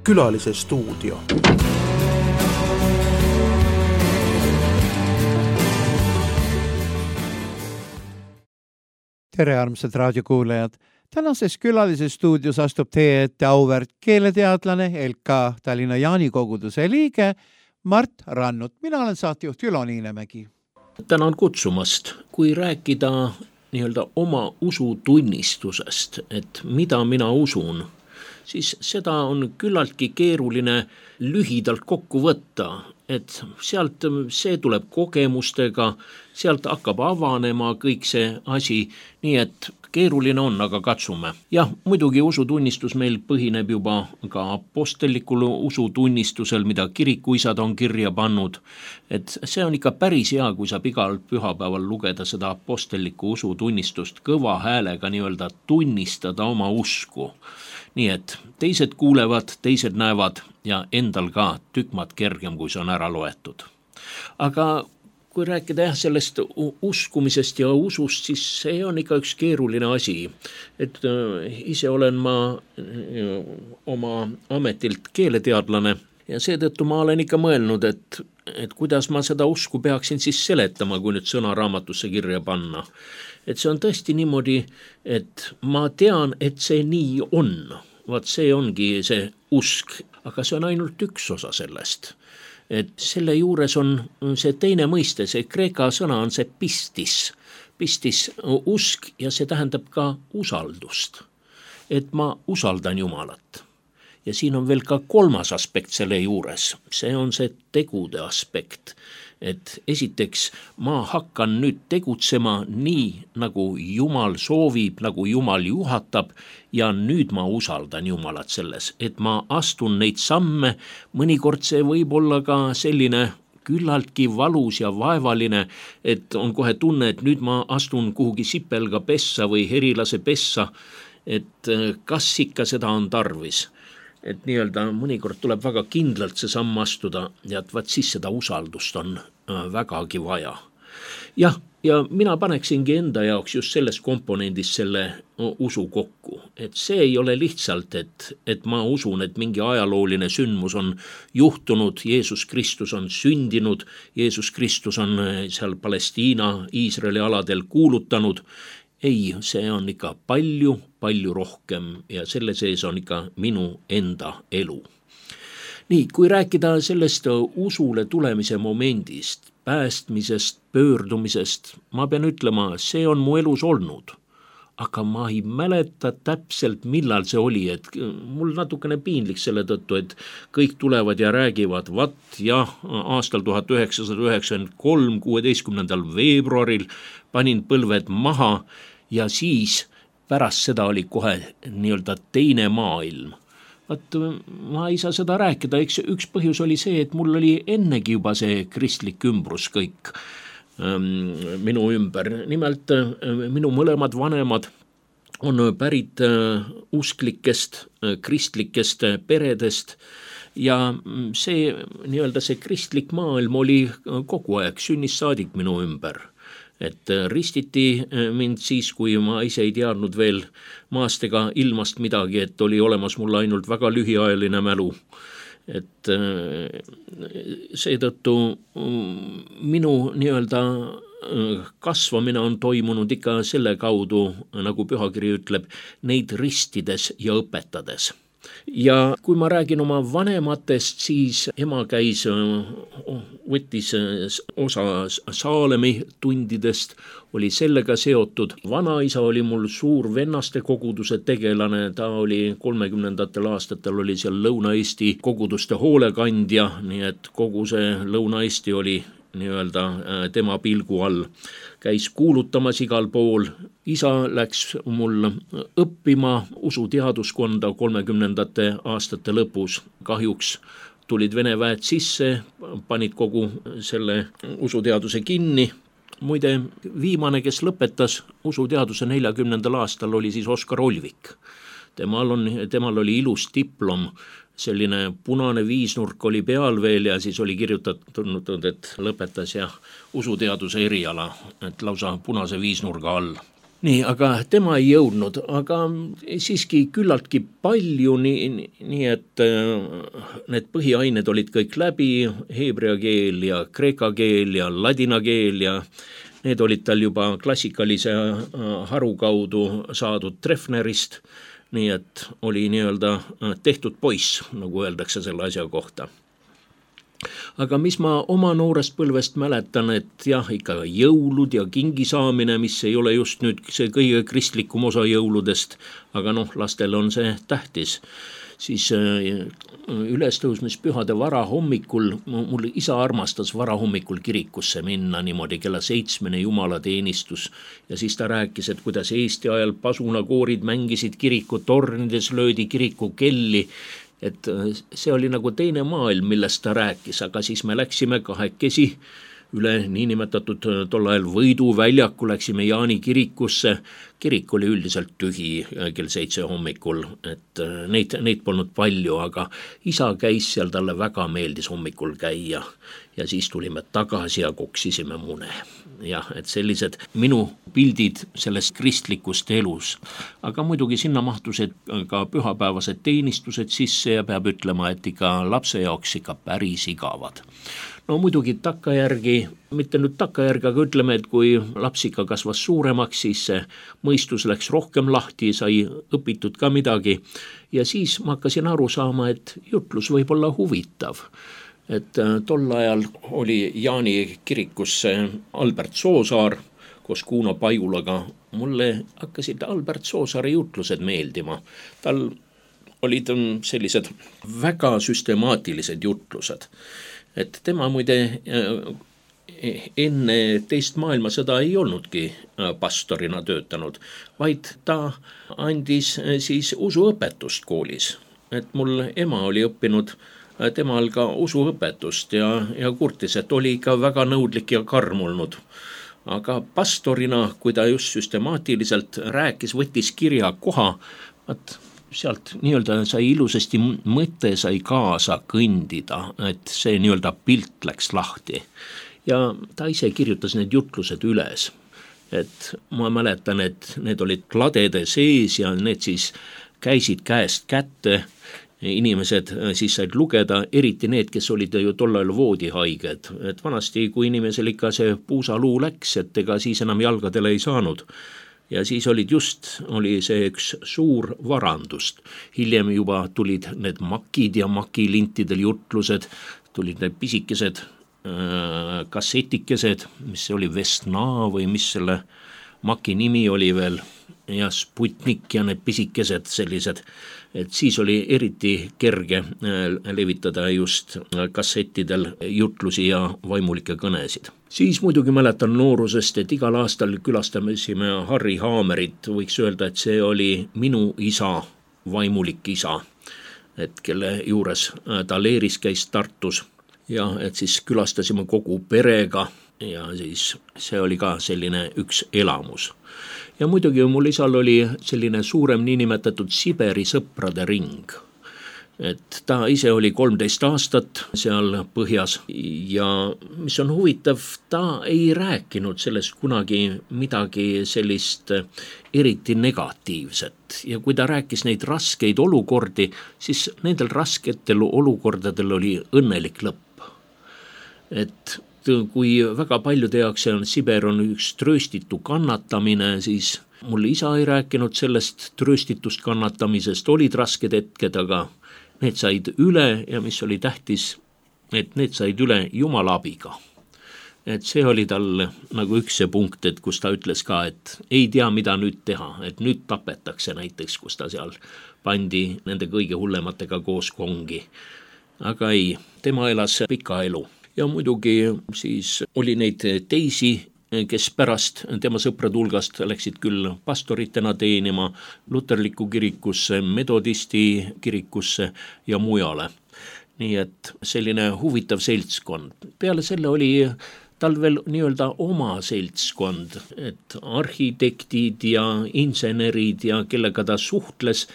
Külalise stuudio. Tere armsad raadiokuulajad! Tänases külalise stuudios astub teie ette auväärt keeleteadlane, LK Tallinna Jaani koguduse liige Mart Rannut. Mina olen saatejuht Ülo Niinemägi. Tänan kutsumast. Kui rääkida nii-öelda oma usutunnistusest, et mida mina usun, siis seda on küllaltki keeruline lühidalt kokku võtta, et sealt see tuleb kogemustega, sealt hakkab avanema kõik see asi, nii et keeruline on, aga katsume. Jah, muidugi usutunnistus meil põhineb juba ka apostellikul usutunnistusel, mida kirikuisad on kirja pannud, et see on ikka päris hea, kui saab igal pühapäeval lugeda seda apostellikku usutunnistust kõva häälega nii-öelda tunnistada oma usku. Nii et teised kuulevad, teised näevad ja endal ka tükmad kergem, kui see on ära loetud. Aga kui rääkida sellest uskumisest ja usust, siis see on ikka üks keeruline asi. Et ise olen ma oma ametilt keeleteadlane ja seetõttu ma olen ikka mõelnud, et kuidas ma seda usku peaksin siis seletama, kui nüüd sõnaraamatusse kirja panna. Et see on tõesti niimoodi, et ma tean, et see nii on. Vaat see ongi see usk, aga see on ainult üks osa sellest. Et selle juures on see teine mõiste, see kreeka sõna on see pistis. Pistis usk ja see tähendab ka usaldust. Et ma usaldan Jumalat. Ja siin on veel ka kolmas aspekt selle juures. See on see tegude aspekt. Et esiteks ma hakkan nüüd tegutsema nii, nagu Jumal soovib, nagu Jumal juhatab ja nüüd ma usaldan Jumalat selles, et ma astun neid samme, mõnikord see võib olla ka selline küllaltki valus ja vaevaline, et on kohe tunne, et nüüd ma astun kuhugi sipelga pessa või herilase pessa, et kas ikka seda on tarvis. Et nii-öelda mõnikord tuleb väga kindlalt see samm astuda ja et vaat siis seda usaldust on vägagi vaja. Jah, ja mina paneksingi enda jaoks just selles komponendis selle usu kokku. Et see ei ole lihtsalt, et ma usun, et mingi ajalooline sündmus on juhtunud, Jeesus Kristus on sündinud, Jeesus Kristus on seal Palestiina, Iisraeli aladel kuulutanud. Ei, see on ikka palju rohkem ja selle sees on ikka minu enda elu. Nii, kui rääkida sellest usule tulemise momendist, päästmisest, pöördumisest, ma pean ütlema, see on mu elus olnud. Aga ma ei mäleta täpselt, millal see oli, et mul natukene piinlik selle tõttu, et kõik tulevad ja räägivad, aastal 1993, 16. veebruaril panin põlved maha ja siis pärast seda oli kohe nii-öelda teine maailm. Ma ei saa seda rääkida, üks põhjus oli see, et mul oli ennegi juba see kristlik ümbrus kõik minu ümber. Nimelt minu mõlemad vanemad on pärit usklikest, kristlikest peredest ja see nii-öelda see kristlik maailm oli kogu aeg sünnist saadik minu ümber. Et ristiti mind siis, kui ma ise ei teadnud veel maast ega ilmast midagi, et oli olemas mul ainult väga lühiajaline mälu. Et seetõttu minu nii-öelda kasvamine on toimunud ikka selle kaudu, nagu pühakiri ütleb, neid ristides ja õpetades. Ja kui ma räägin oma vanematest, siis ema võttis osa Saalemi tundidest, oli sellega seotud. Vanaisa oli mul suur vennaste koguduse tegelane, ta oli 30. aastatel oli seal Lõuna-Eesti koguduste hoolekandja, nii et kogu see Lõuna-Eesti oli nii-öelda tema pilgu all. Käis kuulutamas igal pool. Isa läks mul õppima usuteaduskonda 30. aastate lõpus. Kahjuks tulid Vene väed sisse, panid kogu selle usuteaduse kinni. Muide, viimane, kes lõpetas usuteaduse 40. aastal, oli siis Oskar Olvik. Temal oli ilus diplom, selline punane viisnurk oli peal veel ja siis oli kirjutatud, et lõpetas ja usuteaduse eriala, et lausa punase viisnurga all. nii, aga tema ei jõudnud, aga siiski küllaltki palju, nii et need põhiained olid kõik läbi, heebrea keel ja kreeka keel ja ladina keel ja need olid tal juba klassikalise haru kaudu saadud Treffnerist, nii et oli nii-öelda tehtud poiss, nagu öeldakse selle asja kohta. Aga mis ma oma noorest põlvest mäletan, et jah, ikka jõulud ja kingi saamine, mis ei ole just nüüd see kõige kristlikum osa jõuludest, aga lastel on see tähtis. Siis ülestõusmispühade varahommikul, mul isa armastas varahommikul kirikusse minna niimoodi kella 7 jumalateenistus ja siis ta rääkis, et kuidas Eesti ajal pasunakoorid mängisid kirikutornides, löödi kirikukelli, et see oli nagu teine maailm, millest ta rääkis, aga siis me läksime kahekesi üle niinimetatud tol ajal Võidu väljaku, läksime Jaani kirikusse, kirik oli üldiselt tühi kell 7 hommikul, et neid polnud palju, aga isa käis seal, talle väga meeldis hommikul käia ja siis tulime tagasi ja koksisime mune. Jah, et sellised minu pildid sellest kristlikust elus, aga muidugi sinna mahtusid ka pühapäevased teenistused sisse ja peab ütlema, et ikka lapse jaoks ikka päris igavad. No muidugi takkajärgi, mitte nüüd takkajärgi, aga ütleme, et kui laps ikka kasvas suuremaks, siis see mõistus läks rohkem lahti, sai õpitud ka midagi ja siis ma hakkasin aru saama, et jutlus võib olla huvitav. Et tol ajal oli Jaani kirikusse Albert Soosaar koos Kuno Pajulaga. Mulle hakkasid Albert Soosaare jutlused meeldima. Tal olid sellised väga süstemaatilised jutlused. Et tema muide enne teist maailmasõda ei olnudki pastorina töötanud, vaid ta andis siis usuõpetust koolis. Et mul ema oli õppinud temal ka usuõpetust ja kurtis, et oli ikka väga nõudlik ja karm olnud. Aga pastorina, kui ta just süstemaatiliselt rääkis, võttis kirja koha, sealt nii-öelda sai ilusasti mõte sai kaasa kõndida, et see nii-öelda pilt läks lahti. Ja ta ise kirjutas need jutlused üles. Et ma mäletan, et need olid kladede sees ja need siis käisid käest kätte. Inimesed siis said lugeda, eriti need, kes olid ju tollal voodihaiged. Et vanasti, kui inimesel ikka see puusaluu läks, et ega siis enam jalgadele ei saanud. Ja siis oli see üks suur varandust. Hiljem juba tulid need makid ja makilintidel jutlused, tulid need pisikesed kassetikesed, mis oli Vestna või mis selle maki nimi oli veel, ja Sputnik ja need pisikesed sellised, et siis oli eriti kerge levitada just kassettidel jutlusi ja vaimulikke kõnesid. Siis muidugi mäletan noorusest, et igal aastal külastasime Harri Haamerit, võiks öelda, et see oli minu isa, vaimulik isa, et kelle juures ta leeris käis Tartus ja et siis külastasime kogu perega ja siis see oli ka selline üks elamus. Ja muidugi mul isal oli selline suurem niinimetatud Siberi sõprade ring. Et ta ise oli 13 aastat seal põhjas ja mis on huvitav, ta ei rääkinud sellest kunagi midagi sellist eriti negatiivset. Ja kui ta rääkis neid raskeid olukordi, siis nendel rasketel olukordadel oli õnnelik lõpp. Et kui väga paljude jaoks Siber on üks trööstitu kannatamine, siis mul isa ei rääkinud sellest trööstitust kannatamisest, olid rasked hetked, aga need said üle ja mis oli tähtis, et need said üle Jumala abiga. Et see oli tal nagu üks see punkt, et kus ta ütles ka, et ei tea, mida nüüd teha, et nüüd tapetakse näiteks, kus ta seal pandi nende kõige hullematega koos kongi. Aga ei, tema elas pika elu. Ja muidugi siis oli neid teisi, kes pärast tema sõprade hulgast läksid küll pastoritena teenima luterliku kirikusse, metodisti kirikusse ja mujale. Nii et selline huvitav seltskond. Peale selle oli tal veel nii-öelda oma seltskond, et arhitektid ja insenerid ja kellega ta suhtles,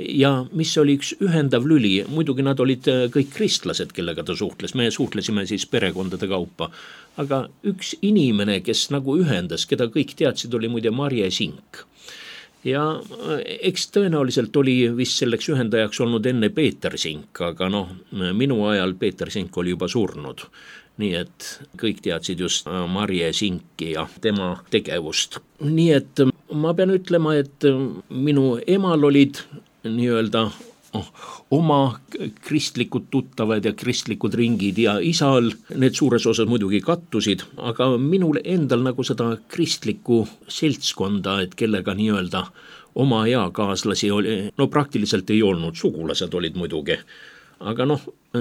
ja mis oli üks ühendav lüli, muidugi nad olid kõik kristlased, kellega ta suhtles, me suhtlesime siis perekondade kaupa, aga üks inimene, kes nagu ühendas, keda kõik teadsid, oli muide Marje Sink. Ja eks tõenäoliselt oli vist selleks ühendajaks olnud enne Peeter Sink, aga minu ajal Peeter Sink oli juba surnud. Nii et kõik teadsid just Marje Sinki ja tema tegevust. Nii et ma pean ütlema, et minu emal olid nii-öelda oma kristlikud tuttavad ja kristlikud ringid ja isal need suures osas muidugi kattusid, aga minul endal nagu seda kristlikku seltskonda, et kellega nii-öelda oma eakaaslasi oli, praktiliselt ei olnud, sugulased olid muidugi, aga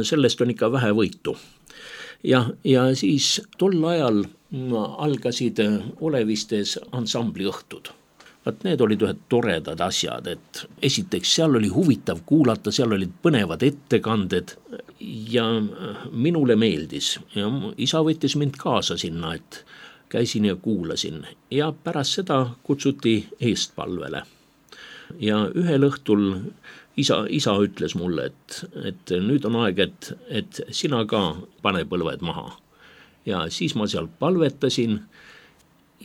sellest on ikka vähe võitu. Ja siis tol ajal algasid Olevistes ansambliõhtud. Need olid ühed toredad asjad, et esiteks seal oli huvitav kuulata, seal olid põnevad ettekanded ja minule meeldis ja isa võttis mind kaasa sinna, et käisin ja kuulasin ja pärast seda kutsuti eestpalvele. Ja ühel õhtul isa ütles mulle, et nüüd on aeg, et sina ka pane põlved maha. Ja siis ma seal palvetasin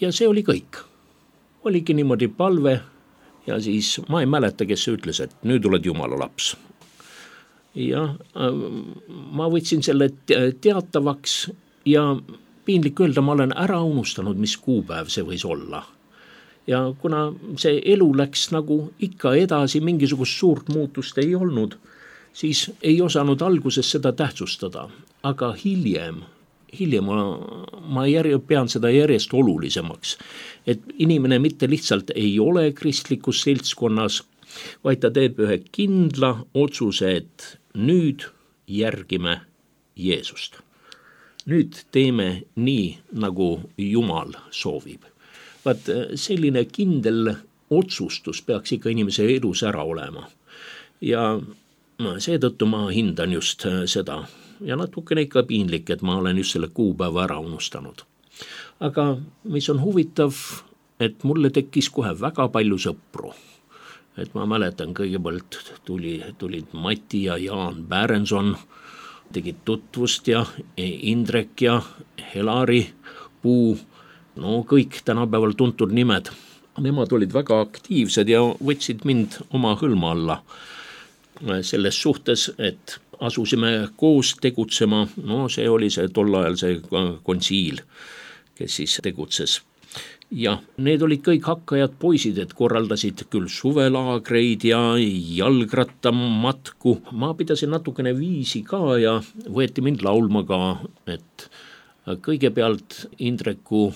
ja see oli kõik. Oligi niimoodi palve ja siis ma ei mäleta, kes ütles, et nüüd oled Jumala laps. Ja ma võtsin selle teatavaks ja piinlik öelda, ma olen ära unustanud, mis kuupäev see võis olla. Ja kuna see elu läks nagu ikka edasi, mingisugust suurt muutust ei olnud, siis ei osanud alguses seda tähtsustada, aga hiljem ma pean seda järjest olulisemaks, et inimene mitte lihtsalt ei ole kristlikus seltskonnas, vaid ta teeb ühe kindla otsuse, et nüüd järgime Jeesust. Nüüd teeme nii, nagu Jumal soovib. Vaat selline kindel otsustus peaks ikka inimese elus ära olema. Ja seetõttu ma hindan just seda. Ja natukene ikka piinlik, et ma olen just selle kuupäeva ära unustanud. Aga mis on huvitav, et mulle tekkis kohe väga palju sõpru. Et ma mäletan, kõigepealt tulid Mati ja Jaan Bärenson, tegid tutvust ja Indrek ja Helari Puu, kõik tänapäeval tuntud nimed. Nemad olid väga aktiivsed ja võtsid mind oma hõlma alla selles suhtes, et asusime koos tegutsema, see oli see tol ajal see konsiil, kes siis tegutses. Ja need olid kõik hakkajad poisid, et korraldasid küll suvelaagreid ja jalgrattamatku. Ma pidasin natukene viisi ka ja võeti mind laulma ka, et kõigepealt Indreku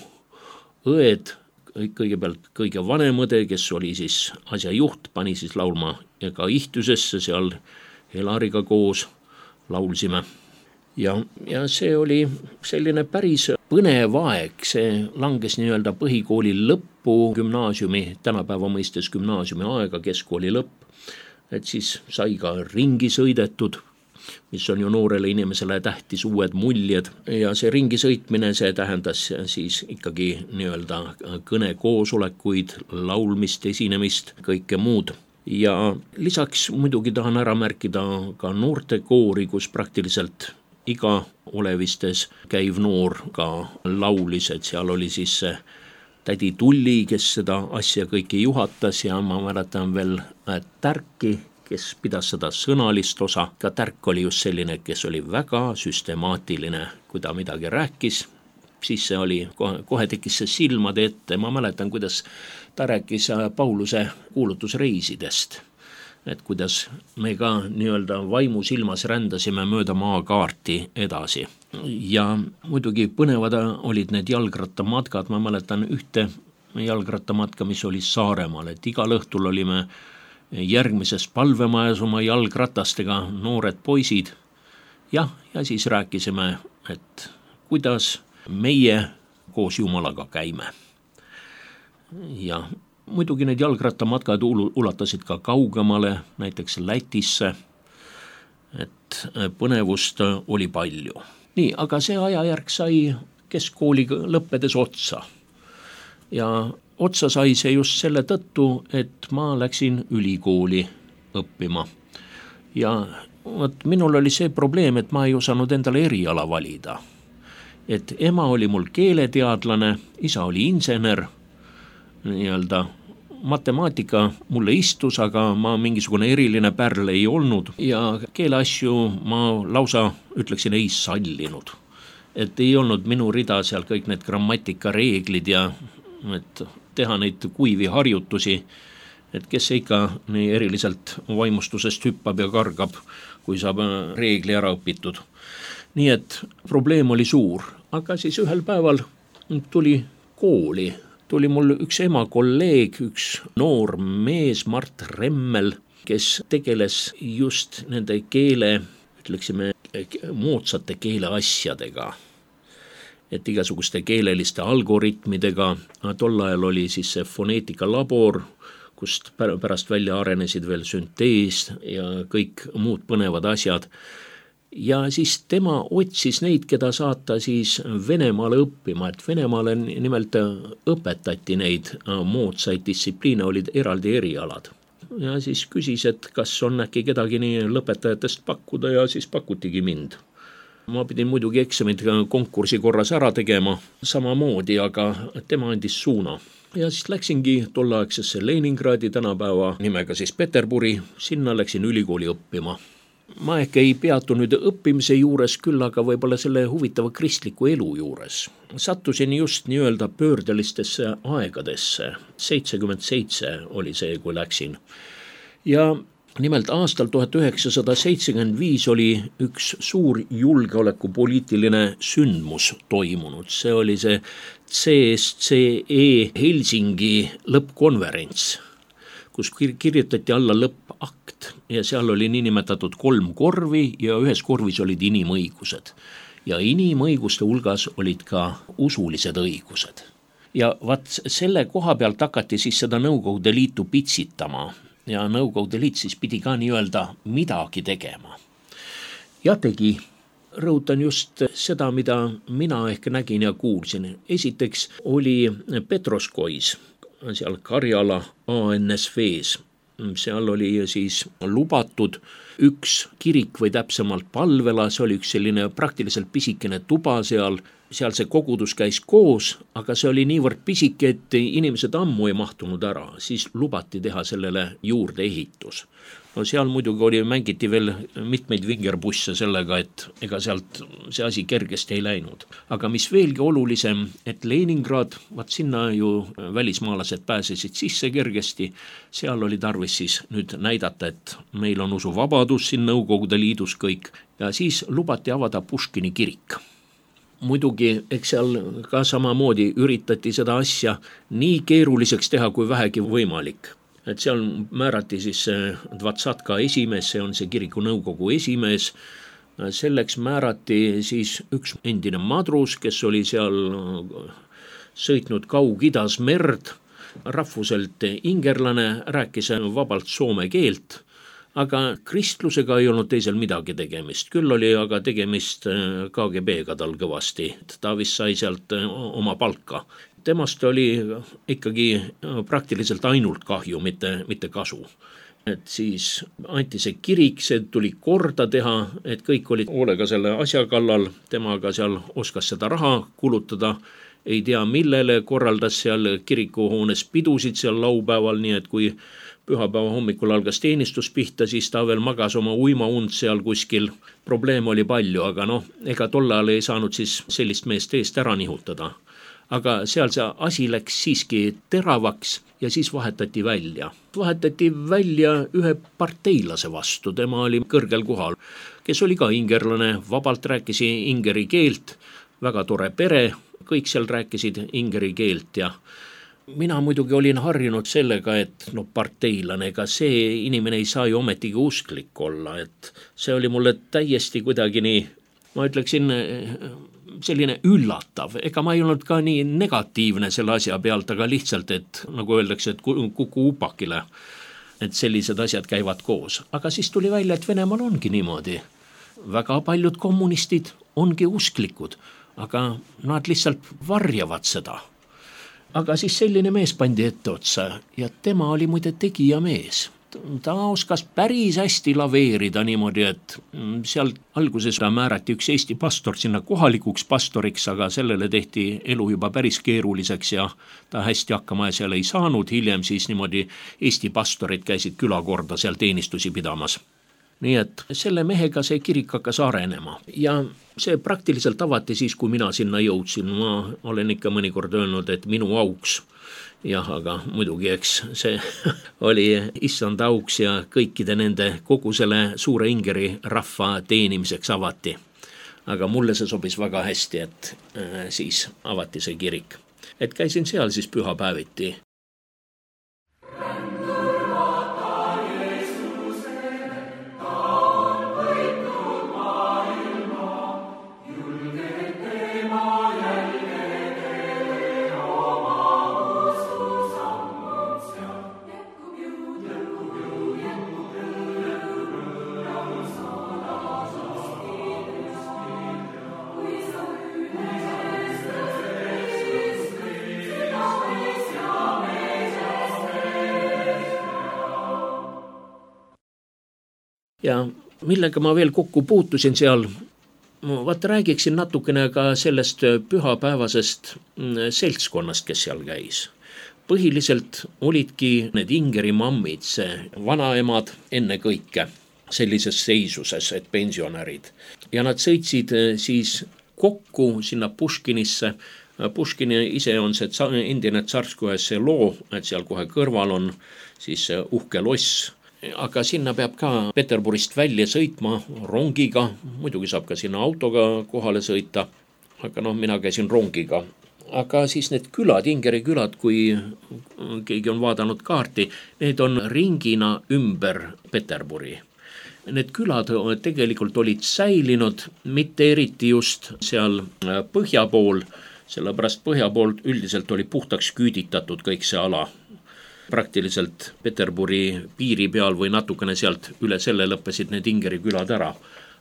õed, kõigepealt kõige vanem õde, kes oli siis asja juht, pani siis laulma ja ka ihtusesse seal Helariga koos laulsime. Ja see oli selline päris põnev aeg, see langes nii-öelda põhikooli lõppu, gümnaasiumi, tänapäeva mõistes gümnaasiumi aega, keskkooli lõpp, et siis sai ka ringi sõidetud, mis on ju noorele inimesele tähtis, uued muljed ja see ringi sõitmine, see tähendas siis ikkagi nii-öelda kõnekoosolekuid, laulmist, esinemist, kõike muud. Ja lisaks muidugi tahan ära märkida ka noortekoori, kus praktiliselt iga Olevistes käiv noor ka laulis, et seal oli siis see tädi Tulli, kes seda asja kõiki juhatas ja ma mäletan veel Tärki, kes pidas seda sõnalist osa. Ka Tärk oli just selline, kes oli väga süstemaatiline, kui ta midagi rääkis, siis see oli, kohe tekkis see silmade ette. Ma mäletan, kuidas ta rääkis Pauluse kuulutusreisidest, et kuidas me ka nii-öelda vaimu silmas rändasime mööda maakaarti edasi. Ja muidugi põnevad olid need jalgrattamatkad, ma mäletan ühte jalgrattamatka, mis oli Saaremaal, et igal õhtul olime järgmises palvemajas oma jalgratastega noored poisid ja siis rääkisime, et kuidas meie koos Jumalaga käime. Ja muidugi need jalgrattamatkad ulatasid ka kaugemale, näiteks Lätisse, et põnevust oli palju. Nii, aga see ajajärg sai keskkooli lõppedes otsa. Ja otsa sai see just selle tõttu, et ma läksin ülikooli õppima. Ja vot minul oli see probleem, et ma ei osanud endale eriala valida. Et ema oli mul keeleteadlane, isa oli insener, nii-öelda matemaatika mulle istus, aga ma mingisugune eriline pärl ei olnud ja keeleasju ma lausa, ütleksin, ei sallinud. Et ei olnud minu rida seal kõik need grammatikareeglid ja et teha neid kuivi harjutusi, et kes ikka nii eriliselt vaimustusest hüppab ja kargab, kui saab reegli ära õpitud. Nii et probleem oli suur, aga siis ühel päeval tuli kooli. Tuli mul üks ema kolleeg, üks noor mees, Mart Remmel, kes tegeles just nende keele, ütleksime, moodsate keeleasjadega. Et igasuguste keeleliste algoritmidega. Tol ajal oli siis see foneetikalabor, kust pärast välja arenesid veel süntees ja kõik muud põnevad asjad. Ja siis tema otsis neid, keda saata siis Venemaale õppima, et Venemaale nimelt õpetati neid moodsaid distsipliine, olid eraldi erialad. Ja siis küsis, et kas on äkki kedagi nii lõpetajatest pakkuda ja siis pakutigi mind. Ma pidin muidugi eksamid konkursi korras ära tegema samamoodi, aga tema andis suuna. Ja siis läksingi tolleaegsesse Leningradi, tänapäeva nimega siis Peterburi, sinna läksin ülikooli õppima. Ma ehk ei peatu nüüd õppimise juures, küll aga võib-olla selle huvitava kristliku elu juures. Sattusin just nii-öelda pöördelistesse aegadesse. 77 oli see, kui läksin. Ja nimelt aastal 1975 oli üks suur julgeolekupoliitiline sündmus toimunud. See oli see CSCE Helsingi lõppkonverents, kus kirjutati alla lõppakt ja seal oli niinimetatud 3 korvi ja ühes korvis olid inimõigused. Ja inimõiguste hulgas olid ka usulised õigused. Ja vaat selle koha pealt hakati siis seda Nõukogude Liitu pitsitama ja Nõukogude Liit siis pidi ka nii-öelda midagi tegema. Ja tegi. Rõhutan just seda, mida mina ehk nägin ja kuulsin. Esiteks oli Petroskois, seal Karjala ANSV-s. Seal oli siis lubatud üks kirik või täpsemalt palvela, see oli üks selline praktiliselt pisikene tuba seal see kogudus käis koos, aga see oli niivõrd pisike, et inimesed ammu ei mahtunud ära, siis lubati teha sellele juurde ehitus. No seal muidugi mängiti veel mitmeid vingerbusse sellega, et ega sealt see asi kergesti ei läinud. Aga mis veelgi olulisem, et Leningrad, vaat sinna ju välismaalased pääsesid sisse kergesti, seal oli tarvis siis nüüd näidata, et meil on usuvabadus siin Nõukogude Liidus kõik ja siis lubati avada Puškini kirik. Muidugi, eks seal ka samamoodi üritati seda asja nii keeruliseks teha, kui vähegi võimalik. Et seal määrati siis Dvatsatka esimees, see on see kiriku nõukogu esimees, selleks määrati siis üks endine madrus, kes oli seal sõitnud Kaug-Idas merd, rahvuselt ingerlane, rääkis vabalt soome keelt, aga kristlusega ei olnud teisel midagi tegemist. Küll oli aga tegemist KGB-ga tal kõvasti. Ta vist sai sealt oma palka. Temast oli ikkagi praktiliselt ainult kahju, mitte kasu. Et siis anti see kirik, see tuli korda teha, et kõik olid hoolega selle asja kallal, temaga seal oskas seda raha kulutada, ei tea millele, korraldas seal kirikuhoones pidusid seal laupäeval, nii et kui pühapäeva hommikul algas teenistus pihta, siis ta veel magas oma uimaund seal kuskil. Probleem oli palju, aga ega tollal ei saanud siis sellist meest eest ära nihutada. Aga seal see asi läks siiski teravaks ja siis vahetati välja. Vahetati välja ühe parteilase vastu, tema oli kõrgel kohal, kes oli ka ingerlane, vabalt rääkis ingeri keelt, väga tore pere, kõik seal rääkisid ingeri keelt ja mina muidugi olin harjunud sellega, et parteilane, ega see inimene ei saa ju ometigi usklik olla, et see oli mulle täiesti kuidagi nii, ma ütleksin, selline üllatav, ega ma ei olnud ka nii negatiivne selle asja pealt, aga lihtsalt, et nagu öeldakse, et kuku upakile, et sellised asjad käivad koos. Aga siis tuli välja, et Venemaal ongi niimoodi. Väga paljud kommunistid ongi usklikud, aga nad lihtsalt varjavad seda. Aga siis selline mees pandi ette otsa ja tema oli muide tegija mees. ta oskas päris hästi laveerida niimoodi, et seal alguses määrati üks Eesti pastor sinna kohalikuks pastoriks, aga sellele tehti elu juba päris keeruliseks ja ta hästi hakkama seal ei saanud. Hiljem siis niimoodi Eesti pastorid käisid külakorda seal teenistusi pidamas. Nii et selle mehega see kirik hakkas arenema ja see praktiliselt avati siis, kui mina sinna jõudsin. Ma olen ikka mõnikord öelnud, et minu auks. Jah, aga muidugi, eks see oli issand auks ja kõikide nende kogu selle suure ingeri rahva teenimiseks avati. Aga mulle see sobis väga hästi, et siis avati see kirik. Et käisin seal siis pühapäeviti. Ja millega ma veel kokku puutusin seal, vaata räägiksin natukene ka sellest pühapäevasest seltskonnast, kes seal käis. Põhiliselt olidki need ingeri mammid, see vanaemad enne kõike sellises seisuses, et pensionärid. Ja nad sõitsid siis kokku sinna Puškinisse. Puškini ise on see endine Tsarskoje selo, et seal kohe kõrval on siis uhke loss. Aga sinna peab ka Peterburist välja sõitma rongiga, muidugi saab ka sinna autoga kohale sõita, aga mina käisin rongiga. Aga siis need külad, ingeri külad, kui keegi on vaadanud kaarti, need on ringina ümber Peterburi. Need külad tegelikult olid säilinud, mitte eriti just seal põhja pool, sellepärast põhja poolt üldiselt oli puhtaks küüditatud kõik see ala. Praktiliselt Peterburi piiri peal või natukene sealt üle selle lõppesid need ingeri külad ära.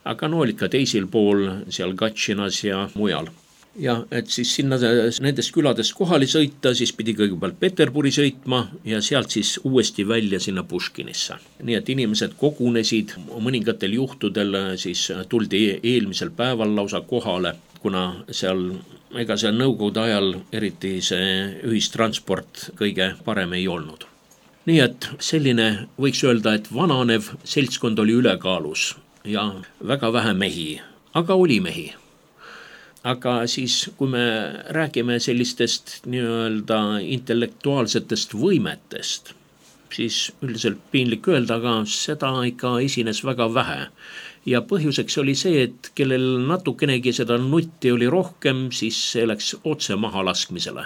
Aga olid ka teisil pool, seal Gatšinas ja mujal. Ja et siis sinna nendest küladest kohale sõita, siis pidi kõigepealt Peterburi sõitma ja sealt siis uuesti välja sinna Puškinisse. Nii et inimesed kogunesid, mõningatel juhtudel siis tuldi eelmisel päeval lausa kohale, kuna seal ega see nõukogude ajal eriti see ühistransport kõige parem ei olnud. Nii et selline võiks öelda, et vananev seltskond oli ülekaalus ja väga vähe mehi, aga oli mehi. Aga siis, kui me räägime sellistest nii-öelda intellektuaalsetest võimetest, siis üldiselt piinlik öelda, aga seda ikka esines väga vähe. Ja põhjuseks oli see, et kellel natukenegi seda nutti oli rohkem, siis see läks otse maha laskmisele.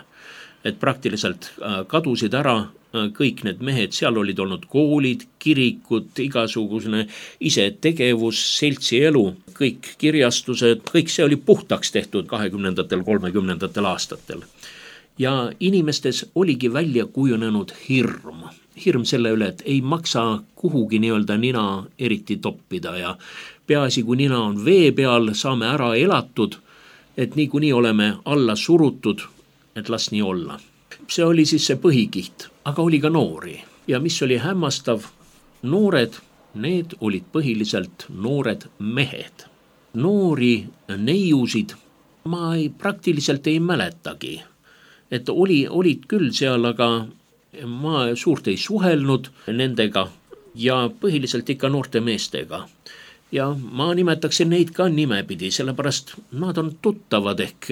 Et praktiliselt kadusid ära kõik need mehed, seal olid olnud koolid, kirikud, igasugune isetegevus, seltsielu, kõik kirjastused, kõik see oli puhtaks tehtud 20. 30. aastatel. Ja inimestes oligi välja kujunenud hirm. Hirm selle üle, et ei maksa kuhugi nii-öelda nina eriti toppida ja peaasi, kui nina on vee peal, saame ära elatud, et niikuinii oleme alla surutud, et las nii olla. See oli siis see põhikiht, aga oli ka noori. Ja mis oli hämmastav, noored, need olid põhiliselt noored mehed. Noori neiusid ma praktiliselt ei mäletagi. Et olid küll seal, aga ma suurt ei suhelnud nendega ja põhiliselt ikka noorte meestega. Ja ma nimetaksin neid ka nimepidi, sellepärast nad on tuttavad ehk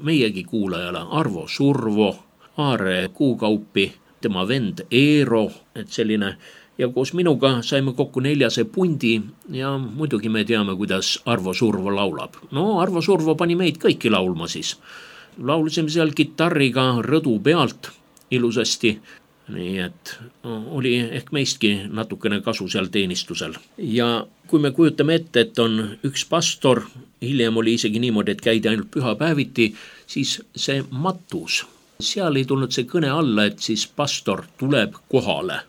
meiegi kuulajale. Arvo Survo, Aare Kuukaupi, tema vend Eero, et selline. Ja koos minuga saime kokku 4 pundi ja muidugi me teame, kuidas Arvo Survo laulab. No Arvo Survo pani meid kõiki laulma siis. Laulsime seal kitarriga rõdu pealt ilusasti. Nii et oli ehk meistki natukene kasu seal teenistusel. Ja kui me kujutame ette, et on üks pastor, hiljem oli isegi niimoodi, et käidi ainult pühapäeviti, siis see matus. Seal ei tulnud see kõne alla, et siis pastor tuleb kohale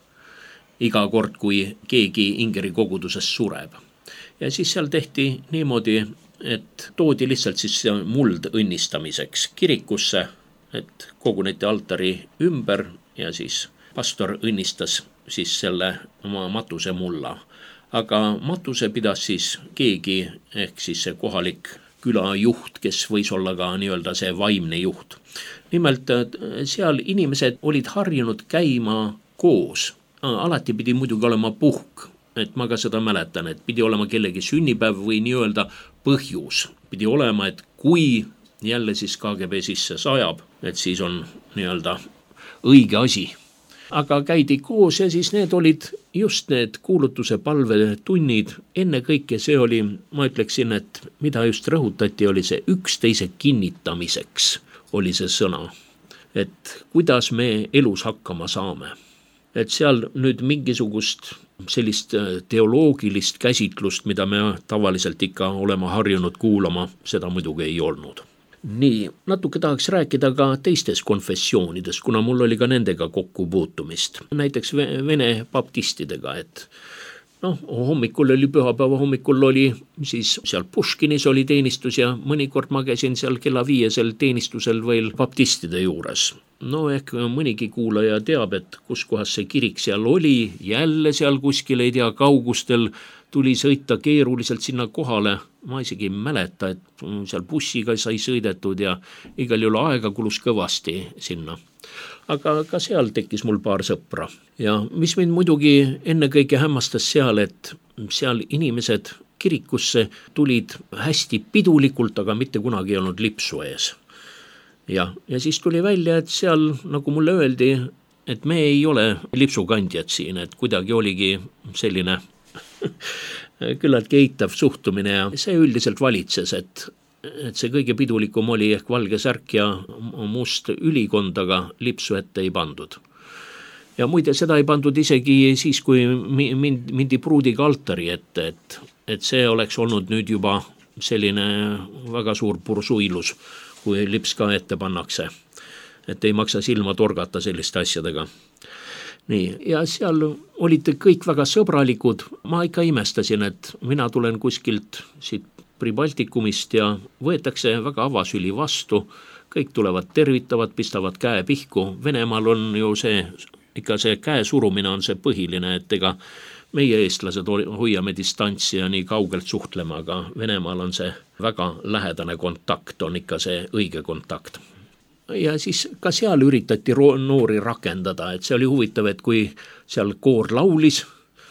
iga kord, kui keegi ingeri kogudusest sureb. Ja siis seal tehti niimoodi, et toodi lihtsalt siis muld õnnistamiseks kirikusse, et koguneti altari ümber ja siis pastor õnnistas siis selle oma matuse mulla. Aga matuse pidas siis keegi, ehk siis see kohalik külajuht, kes võis olla ka nii-öelda see vaimne juht. Nimelt seal inimesed olid harjunud käima koos. Alati pidi muidugi olema puhk, et ma ka seda mäletan, et pidi olema kellegi sünnipäev või nii-öelda põhjus. Pidi olema, et kui jälle siis KGB sisse sajab, et siis on nii-öelda õige asi. Aga käidi koos ja siis need olid just need kuulutuse palvetunnid. Enne kõike see oli, ma ütleksin, et mida just rõhutati, oli see üksteise kinnitamiseks oli see sõna. Et kuidas me elus hakkama saame. Et seal nüüd mingisugust sellist teoloogilist käsitlust, mida me tavaliselt ikka oleme harjunud kuulama, seda muidugi ei olnud. Nii, natuke tahaks rääkida ka teistest konfessioonidest, kuna mul oli ka nendega kokkupuutumist. Näiteks vene baptistidega, et hommikul oli pühapäeva hommikul oli siis seal Puškinis oli teenistus ja mõnikord ma käisin seal kella 5 teenistusel veel baptistide juures. Ehk mõnigi kuulaja teab, et kus kohas see kirik seal oli, jälle seal kuskil ei tea kaugustel tuli sõita keeruliselt sinna kohale. Ma isegi ei mäleta, et seal bussiga sai sõidetud ja igal juhul aega kulus kõvasti sinna. Aga ka seal tekkis mul paar sõpra. Ja mis mind muidugi ennekõike hämmastas seal, et seal inimesed kirikusse tulid hästi pidulikult, aga mitte kunagi ei olnud lipsu ees. Ja siis tuli välja, et seal, nagu mulle öeldi, et me ei ole lipsukandjad siin, et kuidagi oligi selline küllaltki eitav suhtumine ja see üldiselt valitses, et see kõige pidulikum oli ehk valge särk ja must ülikond, aga lipsu ette ei pandud. Ja muide, seda ei pandud isegi siis, kui mindi pruudiga altari ette, et see oleks olnud nüüd juba selline väga suur pursuilus, kui lips ka ette pannakse. Et ei maksa silma torgata selliste asjadega. Nii, ja seal olid kõik väga sõbralikud. Ma ikka imestasin, et mina tulen kuskilt siit Pribaltikumist ja võetakse väga avasüli vastu. Kõik tulevad tervitavad, pistavad käe pihku. Venemaal on ju ikka see käe surumine on see põhiline, et ega meie eestlased hoiame distantsi ja nii kaugelt suhtlema, aga Venemaal on see väga lähedane kontakt, on ikka see õige kontakt. Ja siis ka seal üritati noori rakendada, et see oli huvitav, et kui seal koor laulis,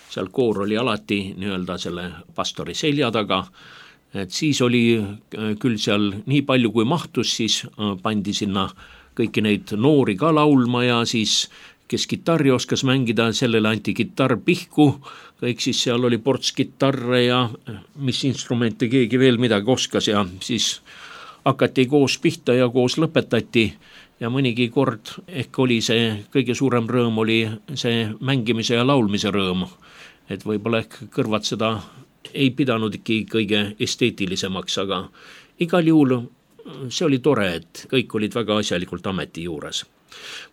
seal koor oli alati nii-öelda selle pastori selja taga, et siis oli küll seal nii palju kui mahtus, siis pandi sinna kõiki neid noori ka laulma ja siis kes kitarri oskas mängida, sellele anti kitarr pihku, kõik siis seal oli ports kitarre ja mis instrumente keegi veel midagi oskas ja siis hakati koos pihta ja koos lõpetati ja mõnigi kord ehk oli see kõige suurem rõõm oli see mängimise ja laulmise rõõm, et võib-olla ehk kõrvad seda ei pidanud kõige esteetilisemaks, aga igal juhul see oli tore, et kõik olid väga asjalikult ameti juures.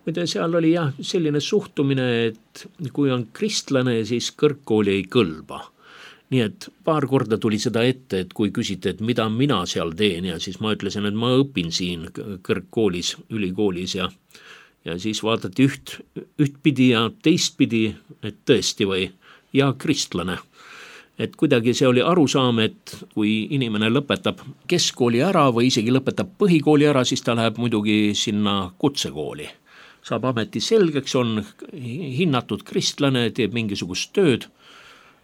Muide, seal oli selline suhtumine, et kui on kristlane, siis kõrgkooli ei kõlba. Nii et paar korda tuli seda ette, et kui küsite, et mida mina seal teen ja siis ma ütlesin, et ma õpin siin kõrgkoolis, ülikoolis ja siis vaadati ühtpidi ja teistpidi, et tõesti või ja kristlane. Et kuidagi see oli arusaam, et kui inimene lõpetab keskkooli ära või isegi lõpetab põhikooli ära, siis ta läheb muidugi sinna kutsekooli. Saab ameti selgeks, on hinnatud kristlane, teeb mingisugust tööd,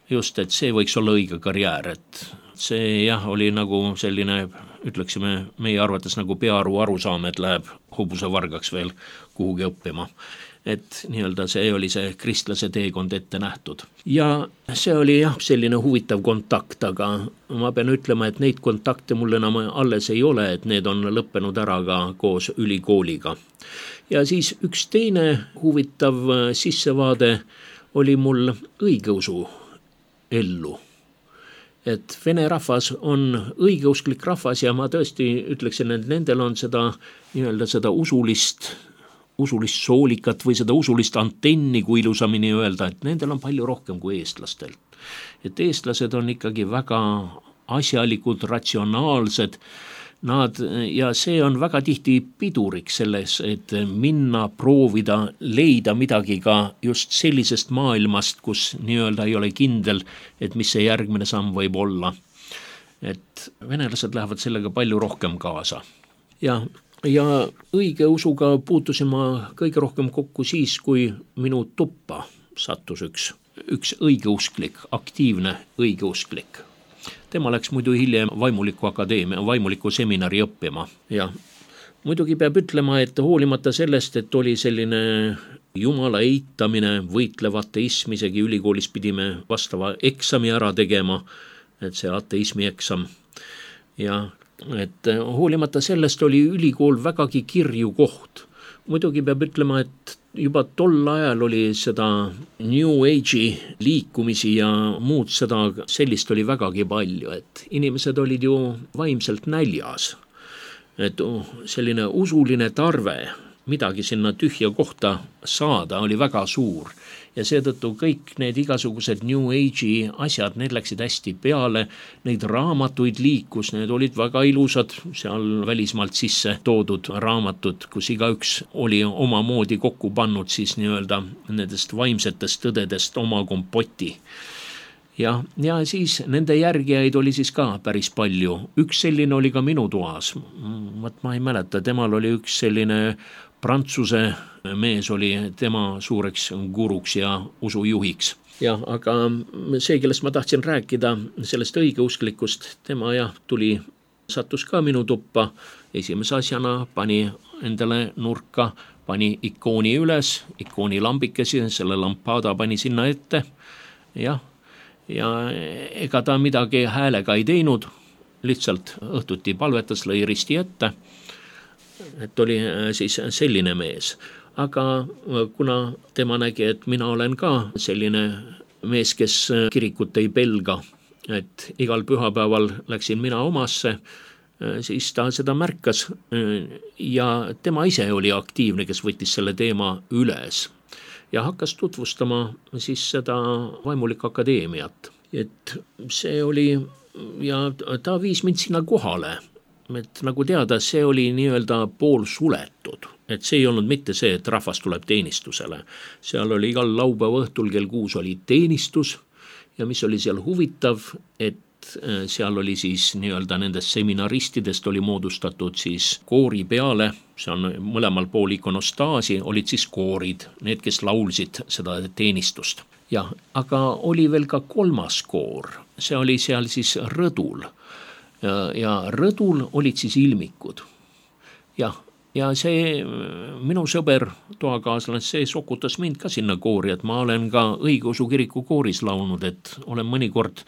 just, et see võiks olla õige karjäär, et see oli nagu selline, ütleksime meie arvates nagu peaaru arusaam, et läheb hobusevargaks veel kuhugi õppima. Et nii-öelda see oli see kristlase teekond ette nähtud. Ja see oli selline huvitav kontakt, aga ma pean ütlema, et neid kontakte mul enam alles ei ole, et need on lõppenud ära ka koos ülikooliga. Ja siis üks teine huvitav sissevaade oli mul õigeusu ellu. Et vene rahvas on õigeusklik rahvas ja ma tõesti ütleksin, et nendel on seda nii-öelda seda usulist soolikat või seda usulist antenni, kui ilusamini öelda, et nendel on palju rohkem kui eestlastel. Et eestlased on ikkagi väga asjalikud, ratsionaalsed, ja see on väga tihti piduriks selles, et minna, proovida, leida midagi ka just sellisest maailmast, kus nii-öelda ei ole kindel, et mis see järgmine samm võib olla. Et venelased lähevad sellega palju rohkem kaasa. Ja õigeusuga puutusin ma kõige rohkem kokku siis, kui minu tuppa sattus üks õigeusklik, aktiivne õigeusklik. Tema läks muidu hiljem vaimuliku seminari õppima. Ja muidugi peab ütlema, et hoolimata sellest, et oli selline jumala eitamine, võitlev ateism, isegi ülikoolis pidime vastava eksami ära tegema, et see ateismi eksam. Ja et hoolimata sellest oli ülikool vägagi kirju koht. Muidugi peab ütlema, et juba tol ajal oli seda New Age'i liikumisi ja muud seda sellist oli vägagi palju, et inimesed olid ju vaimselt näljas. Et selline usuline tarve midagi sinna tühja kohta saada oli väga suur. Ja seetõttu kõik need igasugused New Age'i asjad, need läksid hästi peale, neid raamatuid liikus, need olid väga ilusad, seal välismaalt sisse toodud raamatud, kus igaüks oli omamoodi kokku pannud siis nii-öelda nendest vaimsetest tõdedest oma kompoti. Ja siis nende järgijaid oli siis ka päris palju. Üks selline oli ka minu toas. Ma ei mäleta, temal oli üks selline Prantsuse mees oli tema suureks guruks ja usujuhiks. Aga see, kellest ma tahtsin rääkida, sellest õigeusklikust, tema sattus ka minu tuppa. Esimese asjana pani endale nurka, pani ikooni üles, ikooni lambikesi, selle lampada pani sinna ette. Ja ega ta midagi häälega ei teinud, lihtsalt õhtuti palvetas, lõi risti ette. Et oli siis selline mees. Aga kuna tema nägi, et mina olen ka selline mees, kes kirikut ei pelga, et igal pühapäeval läksin mina omasse, siis ta seda märkas ja tema ise oli aktiivne, kes võttis selle teema üles ja hakkas tutvustama siis seda Vaimulik Akadeemiat. Et see oli ja ta viis mind sinna kohale. Et nagu teada, see oli nii-öelda pool suletud, et see ei olnud mitte see, et rahvas tuleb teenistusele. Seal oli igal laupäeva õhtul kell 6 oli teenistus ja mis oli seal huvitav, et seal oli siis nii-öelda nendest seminaristidest oli moodustatud siis koori peale, see on mõlemal pool ikonostaasi, olid siis koorid, need, kes laulsid seda teenistust. Aga oli veel ka kolmas koor, see oli seal siis rõdul. Ja rõdul olid siis ilmikud. Ja see minu sõber, toakaaslane, see sokutas mind ka sinna koori, et ma olen ka õigeusu kiriku kooris laulnud, et olen mõnikord